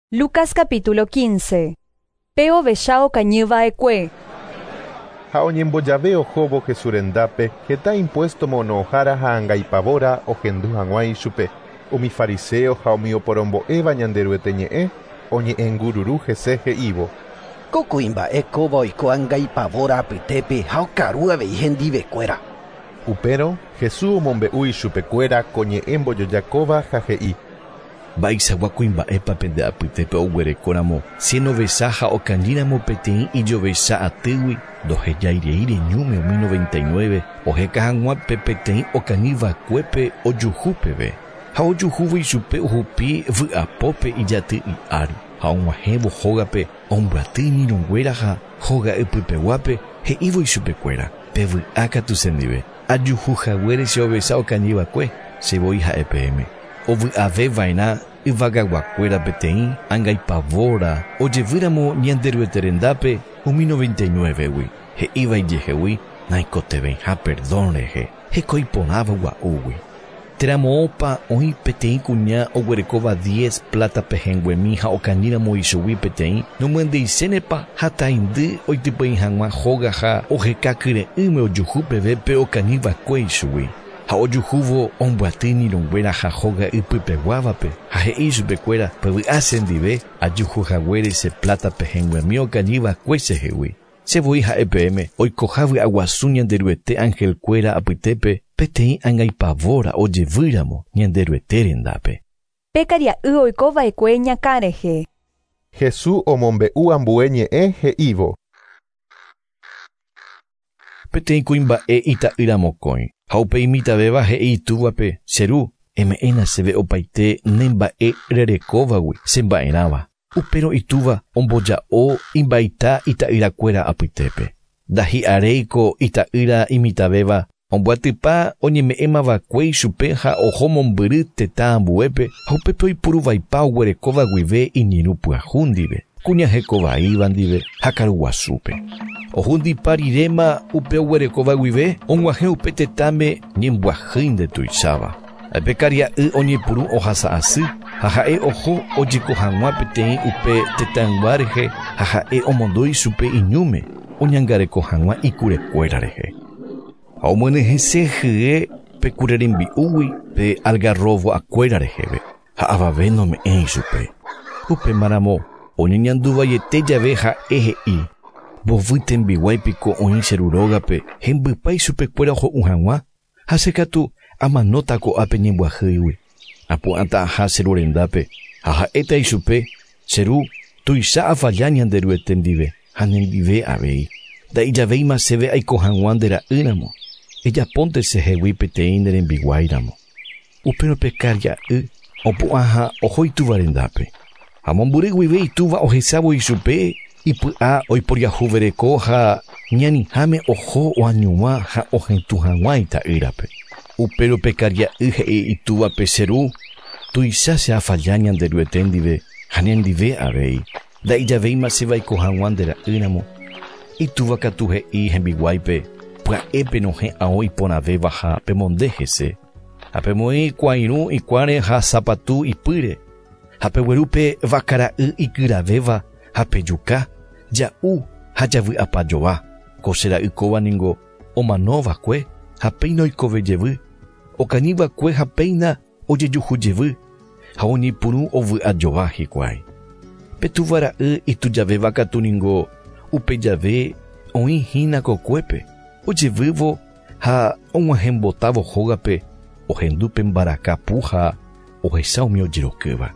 Lucas capítulo 15. Pe ovecha okañyva'ekue. Ha oñembojave ohóvo Jesús rendápe heta impuesto mono'õhára ha angaipavóra ohendu hag̃ua ichupe. Umi fariseo ha umi oporombo'éva Ñanderuete ñe'ẽ oñe'ẽngururu hese he'ívo. Ko kuimba'e kóva oiko angaipavóra apytépe ha okaru avei hendivekuéra. Upérõ Jesús omombe'u ichupekuéra ko ñe'ẽ mbojojakóva ha he'i. Mba'eichagua kuimba'épa pende apytépe oguerekóramo cien ovecha ha okañýramo peteĩ ijovecha atýgui ndohejairei ñúme umi 99 oheka hag̃ua pe peteĩ okañyva'ekuépe ojuhu peve ha ojuhúvo ichupe ohupi vy'apópe ijaty'i ári ha og̃uahẽvo hógape ombyaty iñirũnguéra ha hóga ypypeguápe he'ívo ichupekuéra pe vy'ákatu chendive ajuhuhaguére che ovecha okañyva'ekue che voi ha'e peẽme ovy'aveva'erã yvagaguakuéra peteĩ angaipavóra ojevýramo Ñanderuete rendápe umi 99-gui he'íva ijehegui naikotevẽiha perdón rehe heko iporãva gua'úgui. Térã moõpa oĩ peteĩ kuña oguerekóva 10 plata pehẽnguemi ha okañýramo ichugui peteĩ nomyendyichénepa hataindy oitypei hag̃ua hóga ha oheka kyre'ỹme ojuhu peve pe okañyva'ekue ichugui. Ha ojuhúvo ombyaty iñirũnguéra ha hóga ypypeguávape ha he'i ichupekuéra pevy'a chendive ajuhuhaguére che plata pehẽnguemi okañyva'ekue chehegui. Che voi ha'e peẽme oikoha vy'aguasu Ñanderuete angelkuéra apytépe peteĩ angaipavóra ojevýramo Ñanderuete rendápe. Pe karia'y oikova'ekue ñakã rehe. Jesús omombe'u ambue ñe'ẽ he'ívo. Peteĩ kuimba'e ita'ýra mokõi ha upe imitãvéva he'i itúvape che ru eme'ẽna chéve opaite ne mba'e rerekóvagui che mba'erãva. Upérõ itúva omboja'o imbaita ita'yrakuéra apytépe. Ndahi'aréiko ita'ýra imitãvéva ombyatypa oñeme'ẽmava'ekue ichupe ha oho mombyry tetã ambuépe ha upépe oipuruvaipa oguerekóva guive iñirũ pyahu ndive, kuña hekovaíva ndive ha karuguasúpe. Ohundipa riréma upe oguerekóva guive og̃uahẽ upe tetãme ñembyahýi ndetuicháva. Pe karia'y oñepyrũ ohasa asy ha ha'e oho ojeko hag̃ua peteĩ upe tetãygua rehe ha ha'e omondo ichupe iñúme oñangareko hag̃ua ikurekuéra rehe. Ha omyenyhẽse hye pe kure rembi'úgui pe algarrobo'akuéra reheve ha avave nome'ẽ ichupe. Upémaramo oñeñanduvaiete jave ha'e he'i mbovy tembiguáipiko oĩ che ru rógape hembypa ichupekuéra ho'u hag̃ua ha che katu amanóta ko'ápe ñembyahýigui. Apu'ãta aha che ru rendápe ha ha'éta ichupe che ru tuicha afalla Ñanderuete ndive ha nendive avei. Nda'ijavéima chéve aiko hag̃ua nde ra'ýramo. Ejapónte chehegui peteĩ ne rembiguáiramo. Upérõ pe karia'y opu'ã ha oho itúva rendápe. Ha mombyry guive itúva ohechávo ichupe ipy'a oiporiahuvereko ha ñaniháme oho oañuã ha ohetũ hag̃ua ita'ýrape. Upérõ pe karia'y he'i itúvape che ru tuicha che afalla Ñanderuete ndive ha nendive avei. Nda'ijavéima chéve aiko hag̃ua nde ra'ýramo. Itúva katu he'i hembiguáipe pya'e penohẽ ao iporãvéva ha pemonde hese. Ha pemoĩ kuãirũ ikuãre ha sapatu ipýre. Ha pegueru pe vakara'y ikyravéva ha pejuka, ja'u ha javy'apajova. Ko che ra'y kóva ningo omanova'ekue ha péina oikove jevy, okañyva'ekue ha péina ojejuhu jevy ha oñepyrũ ovy'ajova hikuái. Pe túva ra'y itujavéva katu ningo upe jave oĩ hína kokuépe, ojevývo ha og̃uahẽmbotávo hógape ohendu pe mbarakapu ha ohecha umi ojerokýva.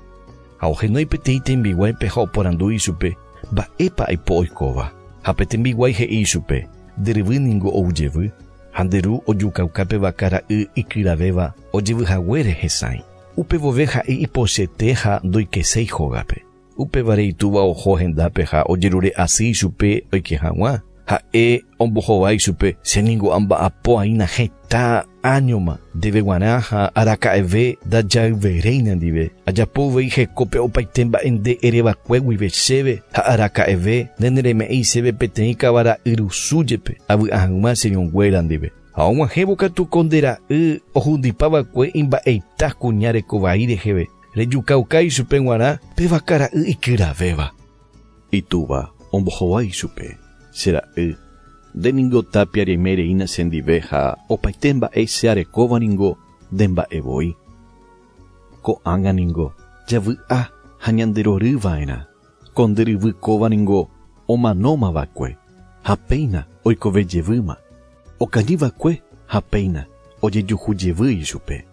Ha ohenói peteĩ tembiguáipe ha oporandu ichupe mba'épa aipo oikóva. Ha pe tembiguái he'i ichupe nde ryvy ningo ou jevy ha nde ru ojukauka pe vaka ra'y ikyravéva ojevyhaguére hesãi. Upe vove ha'e ipochete ha ndoikeséi hógape. Upévare itúva oho hendápe ha ojerure asy ichupe oike hag̃ua. Ha'e ombohovái ichupe che ningo amba'apo aína heta áñoma ndéve g̃uarã ha araka'eve ndajayveréina ndive. Ajapo uvei hekópe opaite mba'e nde ereva'ekue guive chéve ha araka'eve nde nereme'ẽi chéve peteĩ kavara'y rusu jepe avy'a hag̃ua che irũnguéra ndive. Ha og̃uahẽvo katu ko nde ra'y ohundipava'ekue imba'eita kuña rekovai reheve. Rejukauka ichupe g̃uarã pe vakara'y ikyravéva. Itúva ombohovái ichupe. Che ra'y, nde ningo tapia reimereína chendive ha opaite mba'e che arekóva ningo nde mba'evoi. Ko'ág̃a ningo javy'a ha ñanderoryva'erã. Ko nde ryvy kóva ningo omanómava'ekue ha péina oikovejevýma. Okañyva'ekue ha péina ojejuhujevy ichupe.